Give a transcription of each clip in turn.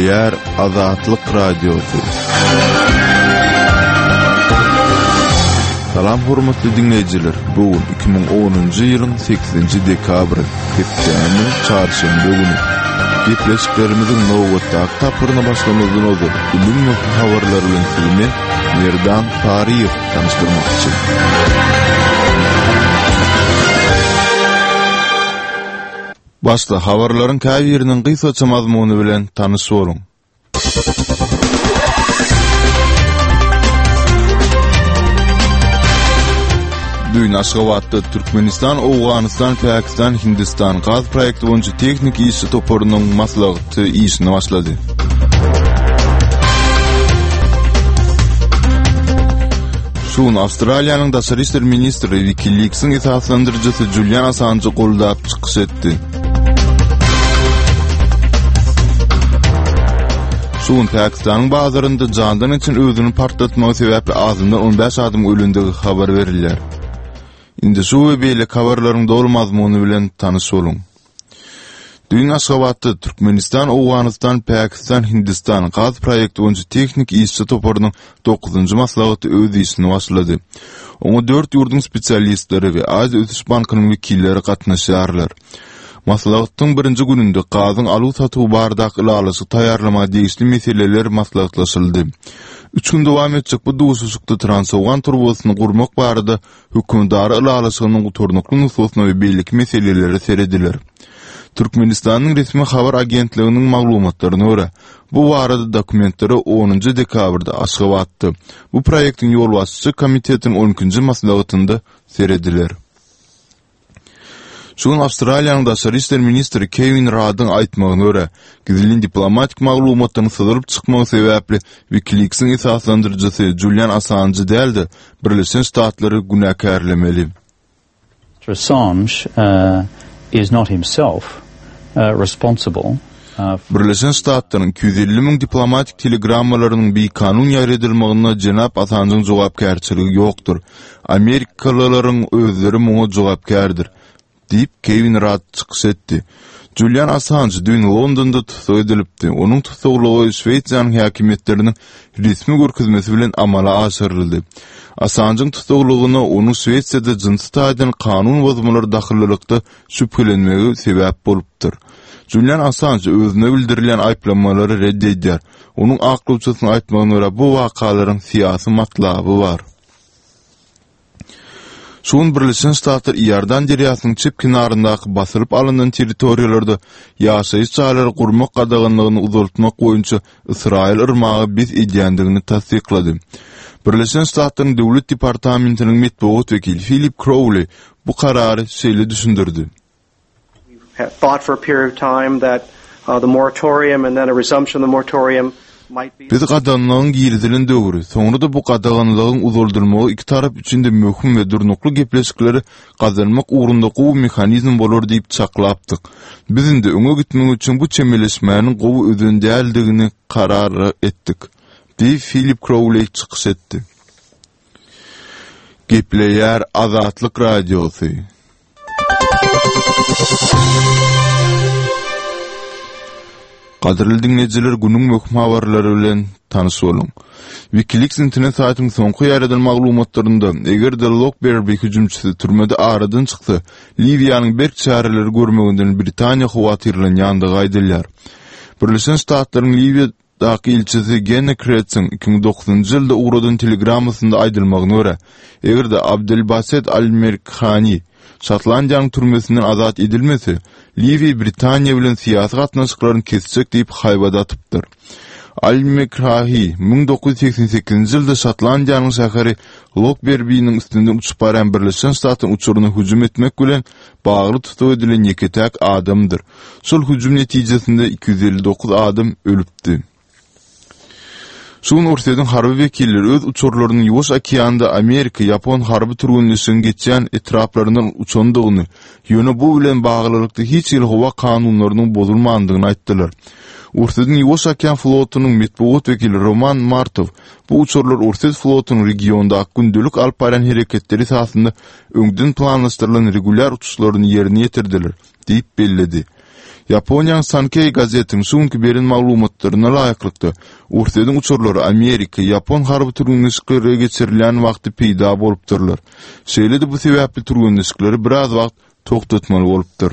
Gepleýär Azatlyk Radiosy. Salam hormatly diňleýjiler! Bu gün 2010-njy ýylyň 8-nji dekabry, hepdäniň çarşenbe güni. Gepleşiklerimiziň nobatdaky tapgyryna başlamazdan ozal, günüň möhüm habarlary bilen sizi men, Merdan Saryýew tanyşdyrmakçy. Başda habarlaryň käbiriniň gysgaça mazmuny bilen tanyş boluň. Düýn Aşgabatda Türkmenistan, Owganystan, Pakistan, Hindistan gaz proýekti boýunça tehniki işçi toparynyň maslahaty işine başlady. Şu gün Awstraliýanyň daşary işler ministri WikiLeaks-iň esaslandyryjysy Julian Assanjy goldap çykyş etdi. Şu gün Pakistanyň bazarynda jandan geçen özüni partlatmagy sebäpli azyndan 15 adamyň ölendigi habar berilýär. Indi şu we beýleki habarlaryň doly mazmuny bilen tanyş boluň. Düýn Aşgabatda Türkmenistan, Owganystan, Pakistan, Hindistan gaz proýekti boýunça tehniki işçi toparynyň dokuzynjy maslahaty öz işini başlady. Oňa dört ýurduň spesialistleri we Aziýa ösüş bankynyň wekilleri gatnaşýarlar. Maslahatyň birinji gününde gazyň aluw-satuwy baradaky ylalaşygy taýýarlamaga degişli meseleler maslahatlaşyldy. Üç gün dowam etjek bu duşuşykda Transowgan turbasyny gurmak barada hökümetara ylalaşygynyň gutarnykly nusgasyna we beýleki meselelere serediler. Türkmenistanyň resmi habar agentliginiň maglumatlaryna görä, bu barada dokumentlere onunjy dekabrda Aşgabatda bu proýektiň ýolbaşçy komitetiniň on ikinji maslahatynda serediler. Şu gün Awstraliýanyň daşary işler ministri Kewin Raddyň aýtmagyna görä, gizlin diplomatik maglumatlaryň syzylyp çykmagy sebäpli WikiLeaks-iň esaslandyryjysy Julian Assanjy däl-de, Birleşen Ştatlary günäkärlemeli. Mister Assange is not himself responsible Birleşen Ştatlaryň 250 müň diplomatik telegrammalarynyň bikanun ýaýradylmagyna jenap Assanjyň jogapkärçiligi ýokdur. Amerikalylaryň özleri muňa jogapkärdir, diýip, Kewin Radd çykyş etdi. Julian Assanj düýn Londonda tussag edilipdi. Onuň tussaglygy Şwesiýanyň häkimiýetleriniň resmi görkezmesi bilen amala aşyryldy. Assanjyň tussaglygyna onuň Şwesiýada jynsy taýdan kanun bozmalara dahyllylykda şübhelenmegi sebäp bolupdyr. Julian Assanj özüne bildirilýän aýyplamalary ret edýär. Onuň aklawçysynyň aýtmagyna görä, bu wakalaryň syýasy matlaby bar. Şu gün Birleşen Ştatlar Iordan derýasynyň çep kenaryndaky basylyp alyndan territoriýalarda ýaşaýyş jaýlary gurmak gadaganlygyny uzaltmak boýunça Ysraýyl yrmagy bes edýändigini tassyklady. Birleşen Ştatlaryň Döwlet departamentiniň metbugat wekili Filip Krouli bu karary şeýle düşündirdi. Biz gadaganlygyň girizilen döwri, soňra-da bu gadaganlygyň uzaldylmagy iki tarap üçin-de möhüm we durnukly gepleşikleri gazanmak ugrunda gowy mehanizm bolar diýip çaklapdyk. Biz indi öňe gitmek üçin bu çemeleşmäniň gowy özen däldigini karar etdik, diýip, Filip Krouley çykyş etdi. Gepleýär Azatlyk Radiosy. Gadyrly diňleýjiler günüň möhüm habarlary bilen tanyş boluň. Wikileaks internet saýtynyň soňky ýaýradan maglumatlarynda, eger-de Lokberbi hüjümçisi türmede aradan çyksa, Liwiýanyň berk çäreleri görmeginden Britaniýa howatyrlanýandygy aýdylýar. Birleşen Ştatlaryň Liwiýa Daky ilçisi Genna Kretsiň 2009-njy ýylda ugradan telegrammasynda aýdylmagyna görä, eger-de Abdelbaset al-Merkhani Şotlandiýanyň türmesinden azat edilmese, Liwiýa Britaniýa bilen syýasy gatnaşyklaryny kesjek diýip haýbat atypdyr. Al-Mekrahi 1988-nji ýylda Şotlandiýanyň şäheri Lokberbiniň üstünden uçup barýan Birleşen Ştatlaryň uçaryna hüjüm etmek bilen bagly tussag edilen ýeke-täk adamdyr. Şol hüjüm netijesinde 259 adam ölüpdi. Şu gün Orsýetiň harby wekilleri öz uçarlarynyň Ýuwaş okeanda amerika-ýapon harby türgenleşigiň geçýän etraplaryndan uçandygyny, ýöne bu bilen baglylykda hiç hili howa kanunlarynyň bozulmandygyny aýtdylar. Orsýetiň Ýuwaş okean flotunyň metbugat wekili Roman Martow bu uçarlar Orsýet flotunyň regiondaky gündelik alyp barýan hereketleri esasynda öňden planlaşdyrylan regulýar uçuşlaryny ýerine ýetirdiler. diýip belledi. Ýaponiýanyň Sankei gazetiniň şu günki beren maglumatlaryna laýyklykda, Orsýetiň uçarlary Amerika, ýapon harby türgenleşikleri geçirilýän wagty peýda bolupdyrlar. Şeýle-de bu sebäpli türgenleşikleri biraz wagt togtatmaly bolupdyr.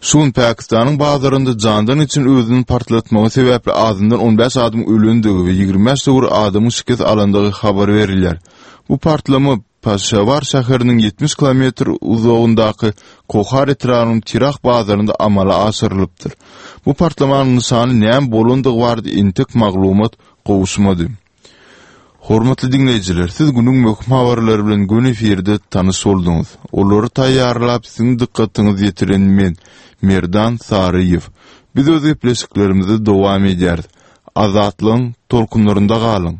Şu gün Pakistanyň bazarynda jandan geçen özüni partlatmagy sebäpli azyndan 15 adamyň ölendigi we 25 töweregi adamyň şikes alandygy habar berilýär. Bu partlama Peşawar şäheriniň 70 kilometr uzagyndaky Kohar etrabynyň Tirah bazarynda amala aşyrylypdyr. Bu partlamanyň nyşany näme bolandygy barada entek maglumat gowuşmady. Hormatly diňleýjiler, siz günüň möhüm habarlary bilen göni efirde tanyş bolduňyz. Olary taýýarlap, siziň dykgatyňyza ýetiren men, Merdan Saryýew. Biz öz gepleşiklerimizi dowam edýäris. Azatlygyň tolkunlarynda galyň!